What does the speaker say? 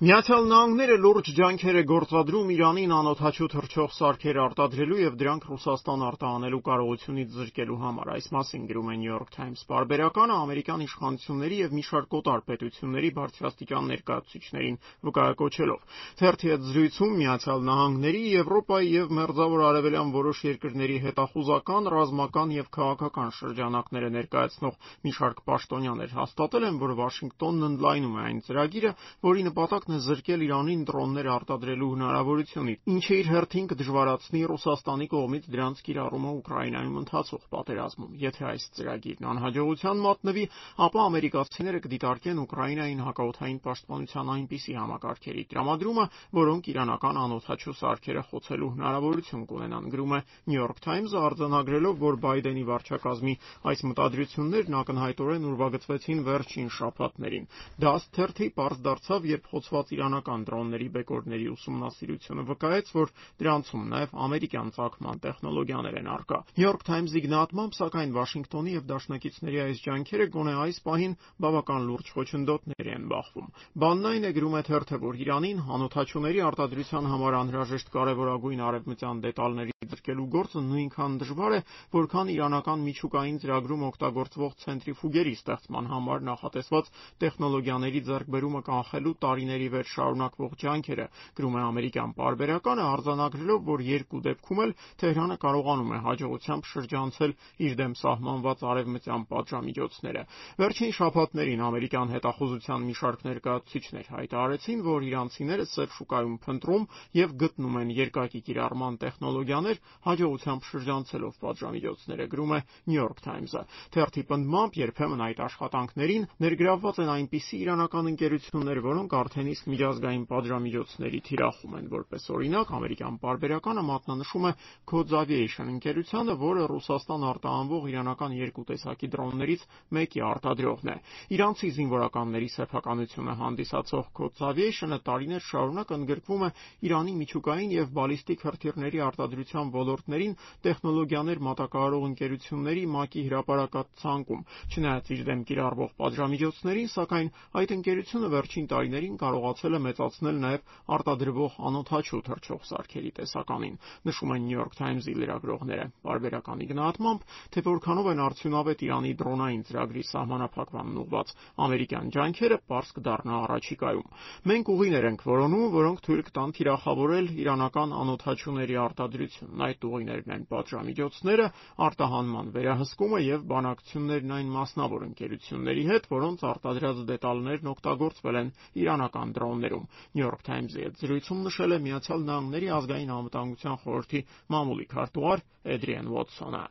Միացյալ Նահանգները լուրջ ջանքեր է գործադրում Իրանին անօդաչու թռչող սարքեր արտադրելու և դրանք Ռուսաստան արտահանելու կարողությունից զրկելու համար։ Այս մասին գրում է New York Times պարբերականը ամերիկյան իշխանությունների և մի շարք օտար պետությունների բարձրաստիճան ներկայացուցիչներին վկայակոչելով։ Թերթի հետ զրույցում Միացյալ Նահանգների, Եվրոպայի և Մերձավոր Արևելյան որոշ երկրների հետախուզական, ռազմական և քաղաքական շրջանակները ներկայացնող մի շարք պաշտոնյաներ հաստատել են, որ Վաշինգտոնն ընդլայնում է այն ծրագիրը, որի նպատակն է զրկել Իրանին դրոններ արտադրելու հնարավորությունից, ինչը իր հերթին կդժվարացնի Ռուսաստանի կողմից դրանց կիրառումը Ուկրաինայում ընթացող պատերազմում։ Եթե այս ծրագիրն անհաջողության մատնվի, ապա ամերիկացիները կդիտարկեն Ուկրաինային հակաօդային պաշտպանության այնպիսի համակարգերի տրամադրումը, որոնք իրանական անօդաչու սարքերը խոցելու հնարավորություն կունենան, գրում է New York Times-ը, արձանագրելով, որ Բայդենի վարչակազմի այս մտադրություններն ակնհայտորեն ուրվագծվեցին վերջին շաբաթներին։ Դա թերթի պարզ դարձավ, երբ խոցված իրանական դրոնների բեկորների ուսումնասիրությունը վկայեց, որ դրանցում նաև ամերիկյան ծագման տեխնոլոգիաներ են առկա։ New York Times-ի գնահատմամբ, սակայն, Վաշինգտոնի և դաշնակիցների այս ջանքերը գոնե այս պահին բավական լուրջ խոչընդոտների են բախվում։ Բանն այն է, գրում է թերթը, որ Իրանին անօդաչուների արտադրության համար անհրաժեշտ կարևորագույն արևմտյան դետալների զրկելու գործը նույնքան դժվար է, որքան իրանական միջուկային ծրագրում օգտագործվող ցենտրիֆուգերի ստեղծման համար նախատեսված տեխնոլոգիաների ձեռքբերումը կանխելու տարիների վեր շարունակվող ջանքերը, գրում է ամերիկյան պարբերականը, արձանագրելով, որ երկու դեպքում էլ Թեհրանը կարողանում է հաջողությամբ շրջանցել իր դեմ սահմանված արևմտյան պատժամիջոցները։ Վերջին շաբաթներին ամերիկյան հետախուզության մի շարք ներկայացուցիչներ հայտարարեցին, որ իրանցիները սև շուկայում փնտրում և գտնում են երկակի կիրառման տեխնոլոգիաներ, հաջողությամբ շրջանցելով պատժամիջոցները, գրում է New York Times-ը։ Թերթի պնդմամբ, երբեմն այդ աշխատանքներին ներգրավված են այնպիսի իրանական ընկերություններ, որոնք արդեն իսկ միջազգային պատժամիջոցների թիրախում են։ Որպես օրինակ, ամերիկյան պարբերականը մատնանշում է Codes Aviation ընկերությանը, որը Ռուսաստան արտահանվող իրանական երկու տեսակի դրոններից մեկի արտադրողն է։ Իրանցի զինվորականների սեփականությունը հանդիսացող Codes Aviation-ը տարիներ շարունակ ընդգրկվում է Իրանի միջուկային և բալիստիկ հրթիռների արտադրության ոլորտներին տեխնոլոգիաներ մատակարարող ընկերությունների ՄԱԿ-ի հրապարակած ցանկում։ Չնայած իր դեմ կիրառվող պատժամիջոցներին, սակայն այդ ընկերությունը վերջին տարիներին կարողացել է մեծացնել նաև արտադրվող անօդաչու թռչող սարքերի տեսականին, նշում են New York Times-ի լրագրողները։ Պարբերականի գնահատմամբ, թե որքանով են արդյունավետ Իրանի դրոնային ծրագրի սահմանափակմանն ուղղված ամերիկյան ջանքերը, պարզ կդառնա առաջիկայում։ Մենք ուղիներ ենք որոնում, որոնք թույլ կտան թիրախավորել իրանական անօդաչուների արտադրությունն։ Այդ ուղիներն են պատժամիջոցները, արտահանման վերահսկումը և բանակցություններն այն մասնավոր ընկերությունների հետ, որոնց արտադրած դետալներն օգտագործվել են իրանական դրոններում։ New York Times-ի հետ զրույցում նշել է Միացյալ Նահանգների ազգային անվտանգության խորհրդի մամուլի քարտուղար Էդրիեն Ուոթսոնը։